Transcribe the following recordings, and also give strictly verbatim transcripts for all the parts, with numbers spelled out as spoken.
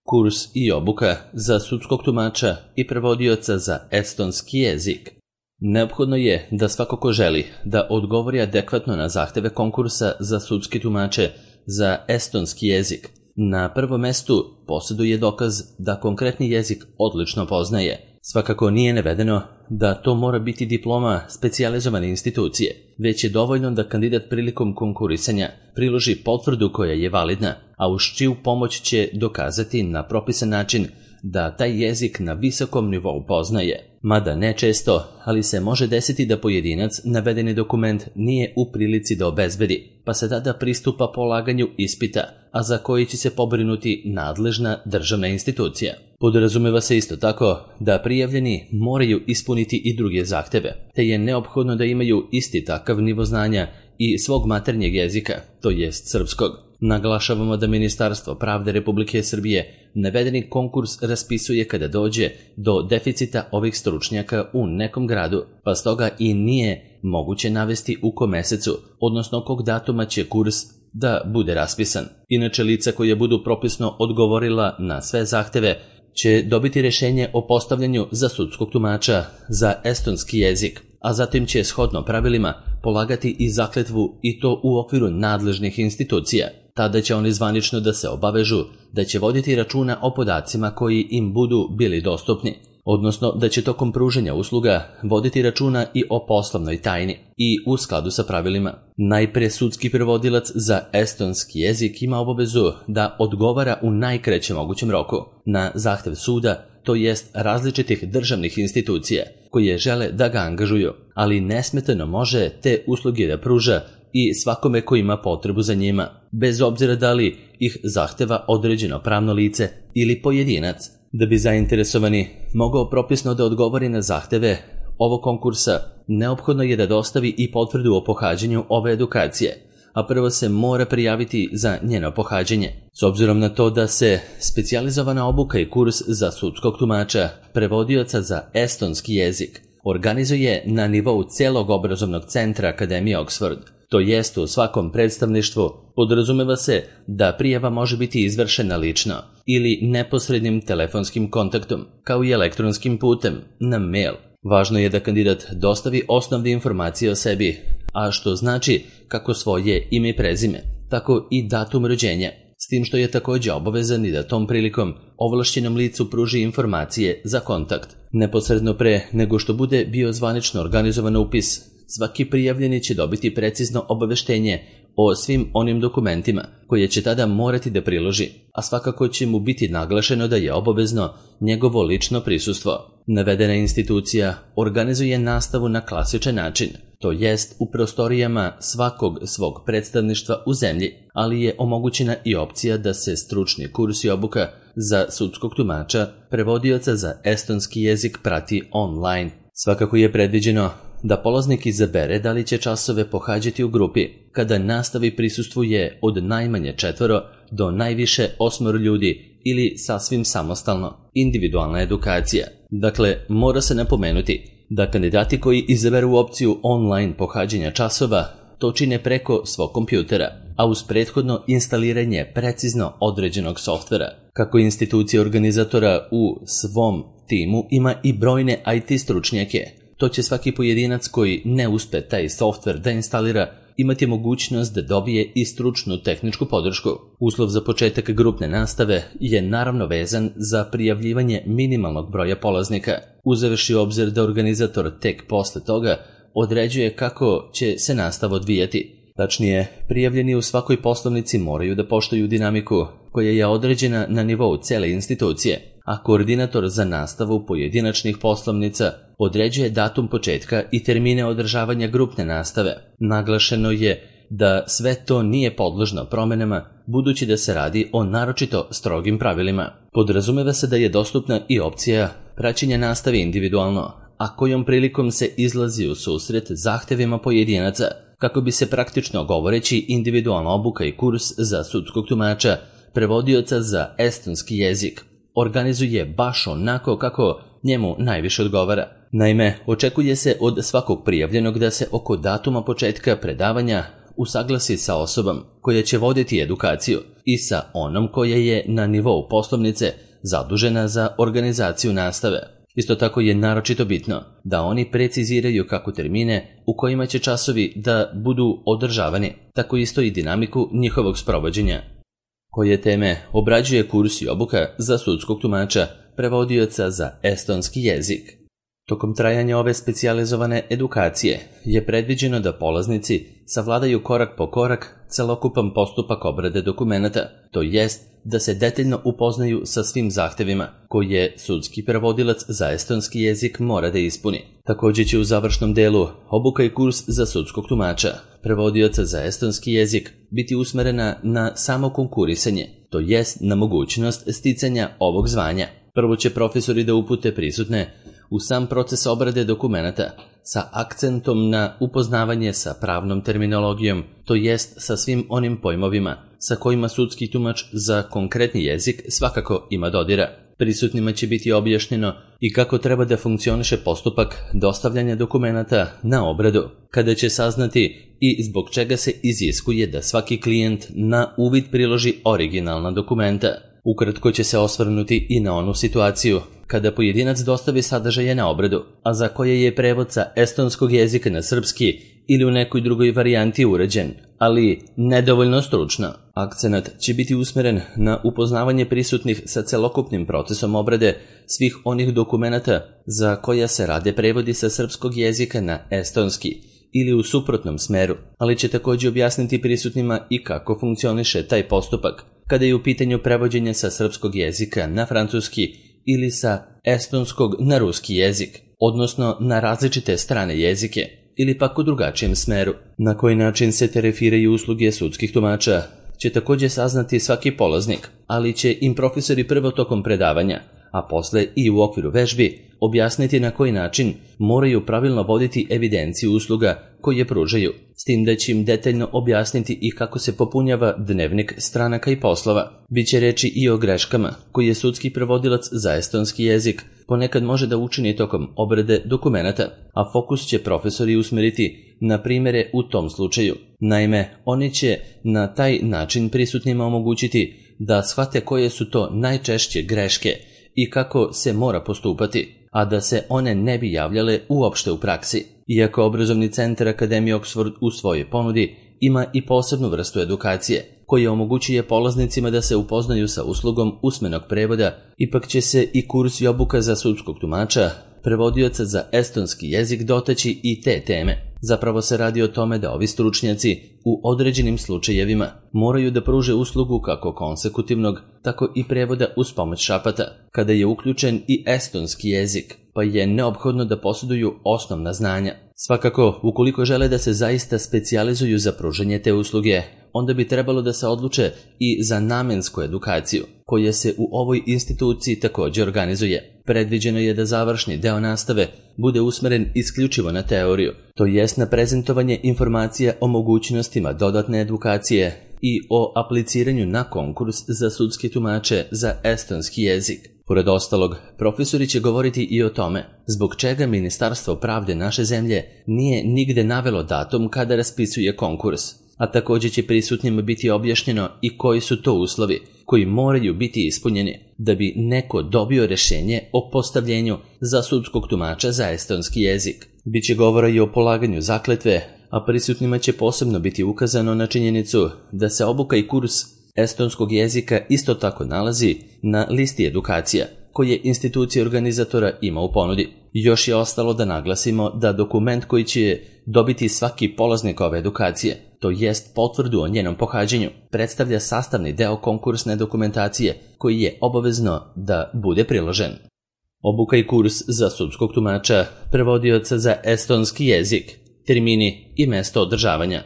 Kurs i obuka za sudskog tumača i prevodioca za estonski jezik. Neophodno je da svako ko želi da odgovori adekvatno na zahteve konkursa za sudske tumače za estonski jezik, na prvom mestu posjeduje dokaz da konkretni jezik odlično poznaje. Svakako nije navedeno da to mora biti diploma specijalizovane institucije, već je dovoljno da kandidat prilikom konkurisanja priloži potvrdu koja je validna, a uz čiju pomoć će dokazati na propisan način da taj jezik na visokom nivou poznaje. Mada ne često, ali se može desiti da pojedinac navedeni dokument nije u prilici da obezbedi, pa se tada pristupa polaganju ispita, a za koji će se pobrinuti nadležna državna institucija. Podrazumeva se isto tako da prijavljeni moraju ispuniti i druge zahteve, te je neophodno da imaju isti takav nivo znanja i svog maternjeg jezika, to jest srpskog. Naglašavamo da Ministarstvo pravde Republike Srbije navedeni konkurs raspisuje kada dođe do deficita ovih stručnjaka u nekom gradu, pa stoga i nije moguće navesti u kom mesecu, odnosno kog datuma će kurs da bude raspisan. Inače, lica koja budu propisno odgovorila na sve zahteve će dobiti rješenje o postavljanju za sudskog tumača za estonski jezik, a zatim će shodno pravilima polagati i zakletvu i to u okviru nadležnih institucija. Tada će oni zvanično da se obavežu da će voditi računa o podacima koji im budu bili dostupni, odnosno da će tokom pružanja usluga voditi računa i o poslovnoj tajni i u skladu sa pravilima. Najpre sudski prevodilac za estonski jezik ima obavezu da odgovara u najkraćem mogućem roku na zahtev suda, to jest različitih državnih institucija koje žele da ga angažuju, ali nesmetano može te usluge da pruža i svakome ko ima potrebu za njima, bez obzira da li ih zahteva određeno pravno lice ili pojedinac. Da bi zainteresovani mogao propisno da odgovori na zahteve ovog konkursa, neophodno je da dostavi i potvrdu o pohađanju ove edukacije, a prvo se mora prijaviti za njeno pohađanje. S obzirom na to da se specijalizovana obuka i kurs za sudskog tumača, prevodioca za estonski jezik, organizuje na nivou celog obrazovnog centra Akademije Oxford, to jest u svakom predstavništvu, podrazumeva se da prijava može biti izvršena lično ili neposrednim telefonskim kontaktom, kao i elektronskim putem, na mail. Važno je da kandidat dostavi osnovne informacije o sebi, a što znači kako svoje ime i prezime, tako i datum rođenja, s tim što je također obavezan i da tom prilikom ovlašćenom licu pruži informacije za kontakt. Neposredno pre nego što bude bio zvanično organizovan upis, svaki prijavljeni će dobiti precizno obaveštenje o svim onim dokumentima koje će tada morati da priloži, a svakako će mu biti naglašeno da je obavezno njegovo lično prisustvo. Navedena institucija organizuje nastavu na klasičan način, to jest u prostorijama svakog svog predstavništva u zemlji, ali je omogućena i opcija da se stručni kurs i obuka za sudskog tumača, prevodioca za estonski jezik prati online. Svakako je predviđeno da polaznik izabere da li će časove pohađati u grupi, kada nastavi prisustvuje od najmanje četvoro do najviše osmoro ljudi ili sasvim samostalno, individualna edukacija. Dakle, mora se napomenuti da kandidati koji izaberu opciju online pohađanja časova to čine preko svog kompjutera, a uz prethodno instaliranje precizno određenog softvera. Kako institucija organizatora u svom timu ima i brojne I T stručnjake, to će svaki pojedinac koji ne uspe taj softver da instalira imati mogućnost da dobije i stručnu tehničku podršku. Uslov za početak grupne nastave je naravno vezan za prijavljivanje minimalnog broja polaznika, uzevši u obzir da organizator tek posle toga određuje kako će se nastava odvijati. Tačnije, prijavljeni u svakoj poslovnici moraju da poštuju dinamiku koja je određena na nivou cele institucije, a koordinator za nastavu pojedinačnih poslovnica određuje datum početka i termine održavanja grupne nastave. Naglašeno je da sve to nije podložno promenama, budući da se radi o naročito strogim pravilima. Podrazumeva se da je dostupna i opcija praćenja nastave individualno, a kojom prilikom se izlazi u susret zahtevima pojedinaca, kako bi se praktično govoreći individualna obuka i kurs za sudskog tumača, prevodioca za estonski jezik, organizuje baš onako kako njemu najviše odgovara. Naime, očekuje se od svakog prijavljenog da se oko datuma početka predavanja usaglasi sa osobom koja će voditi edukaciju i sa onom koja je na nivou poslovnice zadužena za organizaciju nastave. Isto tako je naročito bitno da oni preciziraju kako termine u kojima će časovi da budu održavani, tako isto i dinamiku njihovog sprovođenja. Koje teme obrađuje kurs i obuka za sudskog tumača, prevodioca za estonski jezik. Tokom trajanja ove specijalizovane edukacije je predviđeno da polaznici savladaju korak po korak celokupan postupak obrade dokumenata, to jest da se detaljno upoznaju sa svim zahtevima koje sudski prevodilac za estonski jezik mora da ispuni. Također će u završnom delu obuka i kurs za sudskog tumača, prevodioca za estonski jezik, biti usmerena na samo konkurisanje, to jest na mogućnost sticanja ovog zvanja. Prvo će profesori da upute prisutne u sam proces obrade dokumenata sa akcentom na upoznavanje sa pravnom terminologijom, to jest sa svim onim pojmovima sa kojima sudski tumač za konkretni jezik svakako ima dodira. Prisutnima će biti objašnjeno i kako treba da funkcioniše postupak dostavljanja dokumenata na obradu, kada će saznati i zbog čega se iziskuje da svaki klijent na uvid priloži originalna dokumenta. Ukratko će se osvrnuti i na onu situaciju kada pojedinac dostavi sadržaje na obradu, a za koje je prevod sa estonskog jezika na srpski ili u nekoj drugoj varijanti urađen, ali nedovoljno stručno. Akcenat će biti usmeren na upoznavanje prisutnih sa celokupnim procesom obrade svih onih dokumenata za koja se rade prevodi sa srpskog jezika na estonski ili u suprotnom smeru, ali će također objasniti prisutnima i kako funkcioniše taj postupak kada je u pitanju prevođenje sa srpskog jezika na francuski ili sa estonskog na ruski jezik, odnosno na različite strane jezike, ili pak u drugačijem smeru. Na koji način se tarifiraju usluge sudskih tumača će također saznati svaki polaznik, ali će im profesori prvo tokom predavanja, a posle i u okviru vežbi, objasniti na koji način moraju pravilno voditi evidenciju usluga koje pružaju, s tim da će im detaljno objasniti i kako se popunjava dnevnik stranaka i poslova. Biće reči i o greškama koje sudski prevodilac za estonski jezik ponekad može da učini tokom obrade dokumenata, a fokus će profesori usmeriti na primjere u tom slučaju. Naime, oni će na taj način prisutnima omogućiti da shvate koje su to najčešće greške i kako se mora postupati, a da se one ne bi javljale uopšte u praksi. Iako obrazovni centar Akademije Oxford u svojoj ponudi ima i posebnu vrstu edukacije, koja omogućuje polaznicima da se upoznaju sa uslugom usmenog prevoda, ipak će se i kurs i obuka za sudskog tumača, prevodioca za estonski jezik dotaći i te teme. Zapravo se radi o tome da ovi stručnjaci u određenim slučajevima moraju da pruže uslugu kako konsekutivnog, tako i prevoda uz pomoć šapata, kada je uključen i estonski jezik, pa je neophodno da posjeduju osnovna znanja. Svakako, ukoliko žele da se zaista specijalizuju za pružanje te usluge, onda bi trebalo da se odluče i za namensku edukaciju, koja se u ovoj instituciji također organizuje. Predviđeno je da završni deo nastave bude usmeren isključivo na teoriju, to jest na prezentovanje informacija o mogućnostima dodatne edukacije i o apliciranju na konkurs za sudske tumače za estonski jezik. Pored ostalog, profesori će govoriti i o tome zbog čega Ministarstvo pravde naše zemlje nije nigde navelo datum kada raspisuje konkurs, a također će prisutnima biti objašnjeno i koji su to uslovi koji moraju biti ispunjeni da bi neko dobio rješenje o postavljenju za sudskog tumača za estonski jezik. Biće govora i o polaganju zakletve, a prisutnima će posebno biti ukazano na činjenicu da se obuka i kurs estonskog jezika isto tako nalazi na listi edukacija koje institucija organizatora ima u ponudi. Još je ostalo da naglasimo da dokument koji će dobiti svaki polaznik ove edukacije, to jest potvrdu o njenom pohađanju, predstavlja sastavni deo konkursne dokumentacije koji je obavezno da bude priložen. Obuka i kurs za sudskog tumača, prevodioca za estonski jezik, termini i mesto održavanja.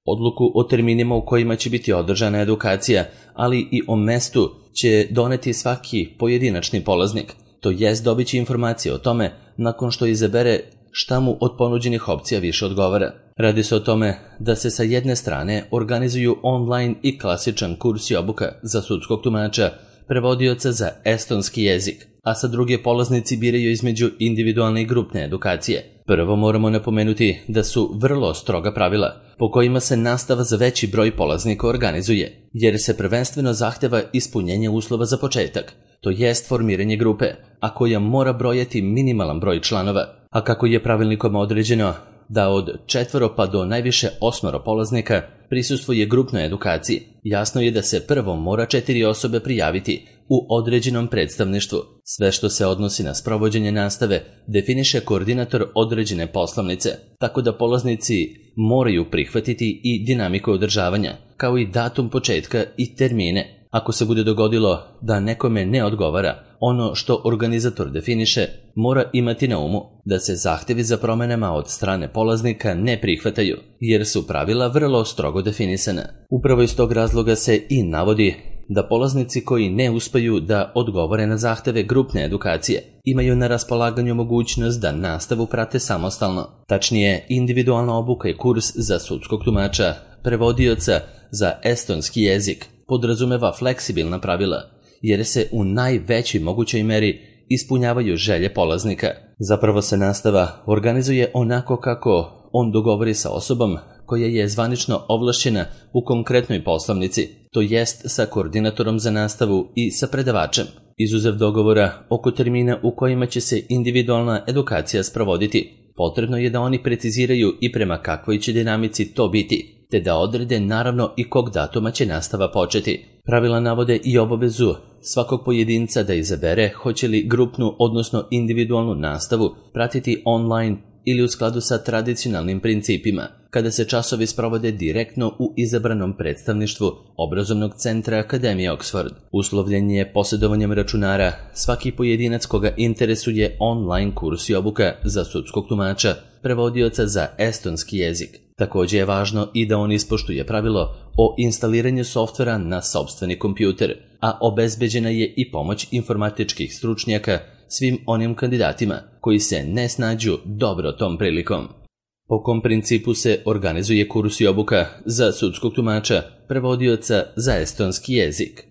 Odluku o terminima u kojima će biti održana edukacija, ali i o mestu će doneti svaki pojedinačni polaznik, to jest dobit će informacije o tome nakon što izabere šta mu od ponuđenih opcija više odgovara. Radi se o tome da se sa jedne strane organizuju online i klasičan kurs i obuka za sudskog tumača, prevodioca za estonski jezik, a sa druge polaznici biraju između individualne i grupne edukacije. Prvo moramo napomenuti da su vrlo stroga pravila po kojima se nastava za veći broj polaznika organizuje, jer se prvenstveno zahteva ispunjenje uslova za početak, to jest formiranje grupe, a koja mora brojati minimalan broj članova, a kako je pravilnikom određeno da od četvoro pa do najviše osmoro polaznika prisustvuje grupnoj edukaciji, jasno je da se prvo mora četiri osobe prijaviti u određenom predstavništvu. Sve što se odnosi na sprovođenje nastave definiše koordinator određene poslovnice, tako da polaznici moraju prihvatiti i dinamiku održavanja, kao i datum početka i termine. Ako se bude dogodilo da nekome ne odgovara ono što organizator definiše, mora imati na umu da se zahtevi za promenama od strane polaznika ne prihvataju, jer su pravila vrlo strogo definisana. Upravo iz tog razloga se i navodi da polaznici koji ne uspeju da odgovore na zahteve grupne edukacije imaju na raspolaganju mogućnost da nastavu prate samostalno. Tačnije, individualna obuka i kurs za sudskog tumača, prevodioca za estonski jezik podrazumeva fleksibilna pravila, jer se u najvećoj mogućoj meri ispunjavaju želje polaznika. Zapravo se nastava organizuje onako kako on dogovori sa osobom koja je zvanično ovlašćena u konkretnoj poslovnici, to jest sa koordinatorom za nastavu i sa predavačem. Izuzev dogovora oko termina u kojima će se individualna edukacija sprovoditi, potrebno je da oni preciziraju i prema kakvoj će dinamici to biti, te da odrede naravno i kog datuma će nastava početi. Pravila navode i obavezu svakog pojedinca da izabere hoće li grupnu odnosno individualnu nastavu pratiti online ili u skladu sa tradicionalnim principima, kada se časovi sprovode direktno u izabranom predstavništvu obrazovnog centra Akademije Oxford. Uslovljen je posjedovanjem računara svaki pojedinac koga interesuje online kurs i obuka za sudskog tumača, prevodioca za estonski jezik. Također je važno i da on ispoštuje pravilo o instaliranju softvera na sopstveni kompjuter, a obezbeđena je i pomoć informatičkih stručnjaka svim onim kandidatima koji se ne snađu dobro tom prilikom. Po kom principu se organizuje kurs i obuka za sudskog tumača, prevodioca za estonski jezik?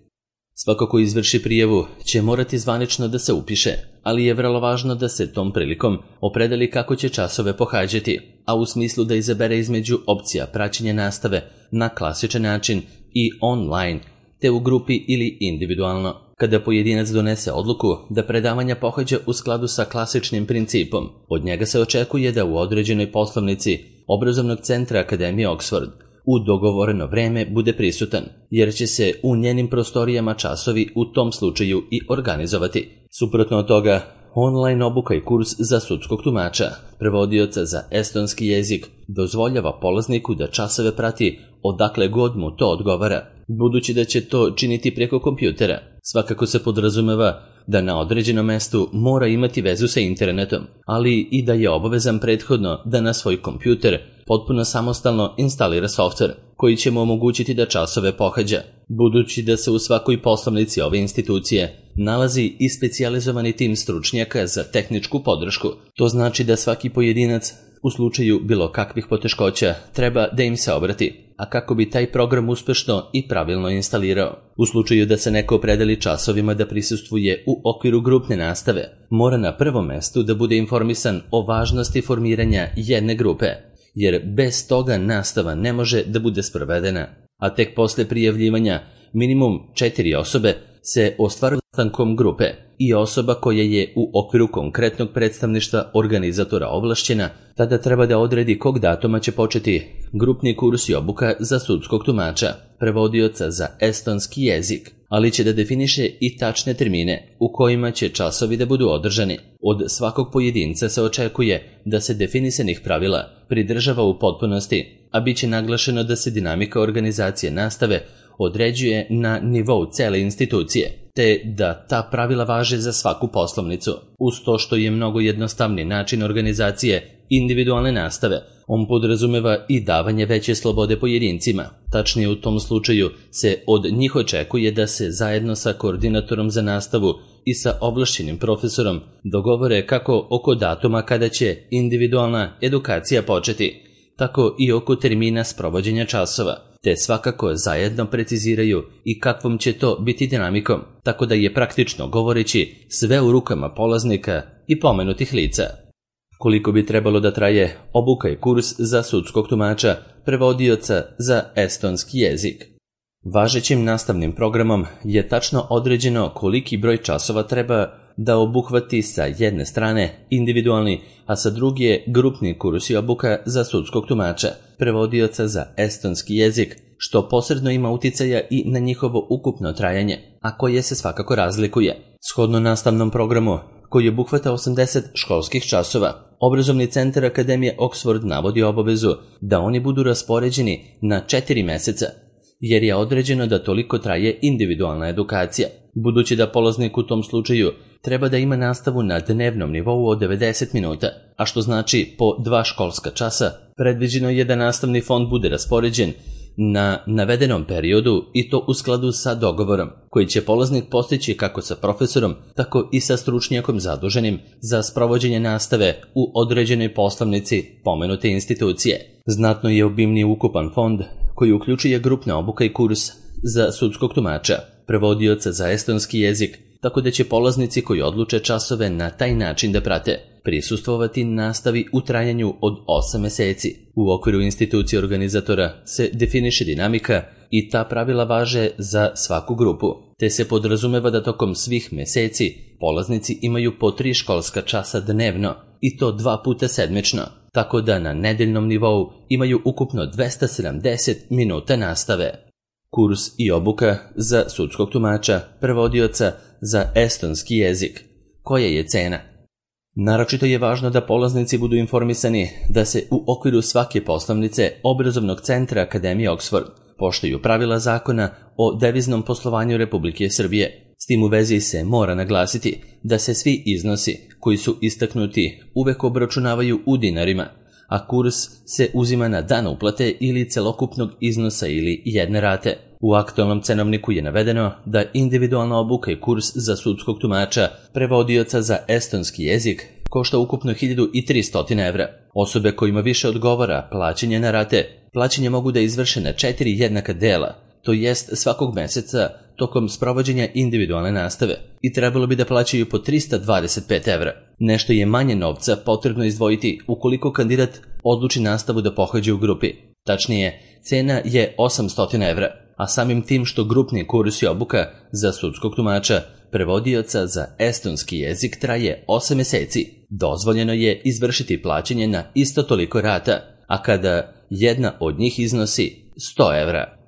Svako ko izvrši prijavu će morati zvanično da se upiše, ali je vrlo važno da se tom prilikom opredeli kako će časove pohađati, a u smislu da izabere između opcija praćenja nastave na klasičan način i online, te u grupi ili individualno. Kada pojedinac donese odluku da predavanja pohađa u skladu sa klasičnim principom, od njega se očekuje da u određenoj poslovnici obrazovnog centra Akademije Oxford u dogovoreno vreme bude prisutan, jer će se u njenim prostorijama časovi u tom slučaju i organizovati. Suprotno od toga, online obuka i kurs za sudskog tumača, prevodioca za estonski jezik, dozvoljava polazniku da časove prati odakle god mu to odgovara, budući da će to činiti preko kompjutera. Svakako se podrazumeva da na određenom mestu mora imati vezu sa internetom, ali i da je obavezan prethodno da na svoj kompjuter potpuno samostalno instalira softver koji će mu omogućiti da časove pohađa. Budući da se u svakoj poslovnici ove institucije nalazi i specijalizovani tim stručnjaka za tehničku podršku, to znači da svaki pojedinac u slučaju bilo kakvih poteškoća treba da im se obrati, a kako bi taj program uspešno i pravilno instalirao. U slučaju da se neko opredeli časovima da prisustvuje u okviru grupne nastave, mora na prvom mestu da bude informisan o važnosti formiranja jedne grupe, jer bez toga nastava ne može da bude sprovedena, a tek posle prijavljivanja minimum četiri osobe se ostvaruje sastankom grupe i osoba koja je u okviru konkretnog predstavništva organizatora ovlašćena, tada treba da odredi kog datuma će početi grupni kurs i obuka za sudskog tumača, prevodioca za estonski jezik, ali će da definiše i tačne termine u kojima će časovi da budu održani. Od svakog pojedinca se očekuje da se definisanih pravila pridržava u potpunosti, a bit će naglašeno da se dinamika organizacije nastave određuje na nivou cele institucije, te da ta pravila važe za svaku poslovnicu. Uz to što je mnogo jednostavni način organizacije individualne nastave, on podrazumeva i davanje veće slobode pojedincima. Tačnije, u tom slučaju se od njih očekuje da se zajedno sa koordinatorom za nastavu i sa ovlašćenim profesorom dogovore kako oko datuma kada će individualna edukacija početi, tako i oko termina sprovođenja časova. te svakako zajedno preciziraju i kakvom će to biti dinamikom, tako da je praktično govoreći sve u rukama polaznika i pomenutih lica. Koliko bi trebalo da traje obuka i kurs za sudskog tumača, prevodioca za estonski jezik? Važećim nastavnim programom je tačno određeno koliki broj časova treba da obuhvati sa jedne strane individualni, a sa druge grupni kurs i obuka za sudskog tumača, prevodioca za estonski jezik, što posredno ima uticaja i na njihovo ukupno trajanje, a koje se svakako razlikuje. Shodno nastavnom programu, koji obuhvata osamdeset školskih časova, Obrazovni centar Akademije Oxford navodi obavezu da oni budu raspoređeni na četiri meseca, jer je određeno da toliko traje individualna edukacija, budući da polaznik u tom slučaju treba da ima nastavu na dnevnom nivou od devedeset minuta, a što znači po dva školska časa, predviđeno je da nastavni fond bude raspoređen na navedenom periodu i to u skladu sa dogovorom, koji će polaznik postići kako sa profesorom, tako i sa stručnjakom zaduženim za sprovođenje nastave u određenoj poslovnici pomenute institucije. Znatno je obimniji ukupan fond koji uključuje grupna obuka i kurs za sudskog tumača, prevodioca za estonski jezik, tako da će polaznici koji odluče časove na taj način da prate prisustvovati nastavi u trajanju od osam meseci. U okviru institucije organizatora se definiše dinamika i ta pravila važe za svaku grupu, te se podrazumeva da tokom svih meseci polaznici imaju po tri školska časa dnevno i to dva puta sedmično, tako da na nedeljnom nivou imaju ukupno dvesta sedamdeset minuta nastave. Kurs i obuka za sudskog tumača, prevodioca za estonski jezik. Koja je cena? Naročito je važno da polaznici budu informisani da se u okviru svake poslovnice Obrazovnog centra Akademije Oxford poštuju pravila zakona o deviznom poslovanju Republike Srbije. S tim u vezi se mora naglasiti da se svi iznosi koji su istaknuti uvek obračunavaju u dinarima, a kurs se uzima na dan uplate ili celokupnog iznosa ili jedne rate. U aktualnom cenovniku je navedeno da individualna obuka i kurs za sudskog tumača, prevodioca za estonski jezik, košta ukupno hiljadu tristo evra. Osobe kojima više odgovara plaćanje na rate, plaćanje mogu da izvrše na četiri jednaka dela, to jest svakog meseca tokom sprovođenja individualne nastave, i trebalo bi da plaćaju po trista dvadeset pet evra. Nešto je manje novca potrebno izdvojiti ukoliko kandidat odluči nastavu da pohađa u grupi. Tačnije, cena je osamsto evra, a samim tim što grupni kurs i obuka za sudskog tumača, prevodioca za estonski jezik traje osam meseci, dozvoljeno je izvršiti plaćanje na isto toliko rata, a kada jedna od njih iznosi sto evra.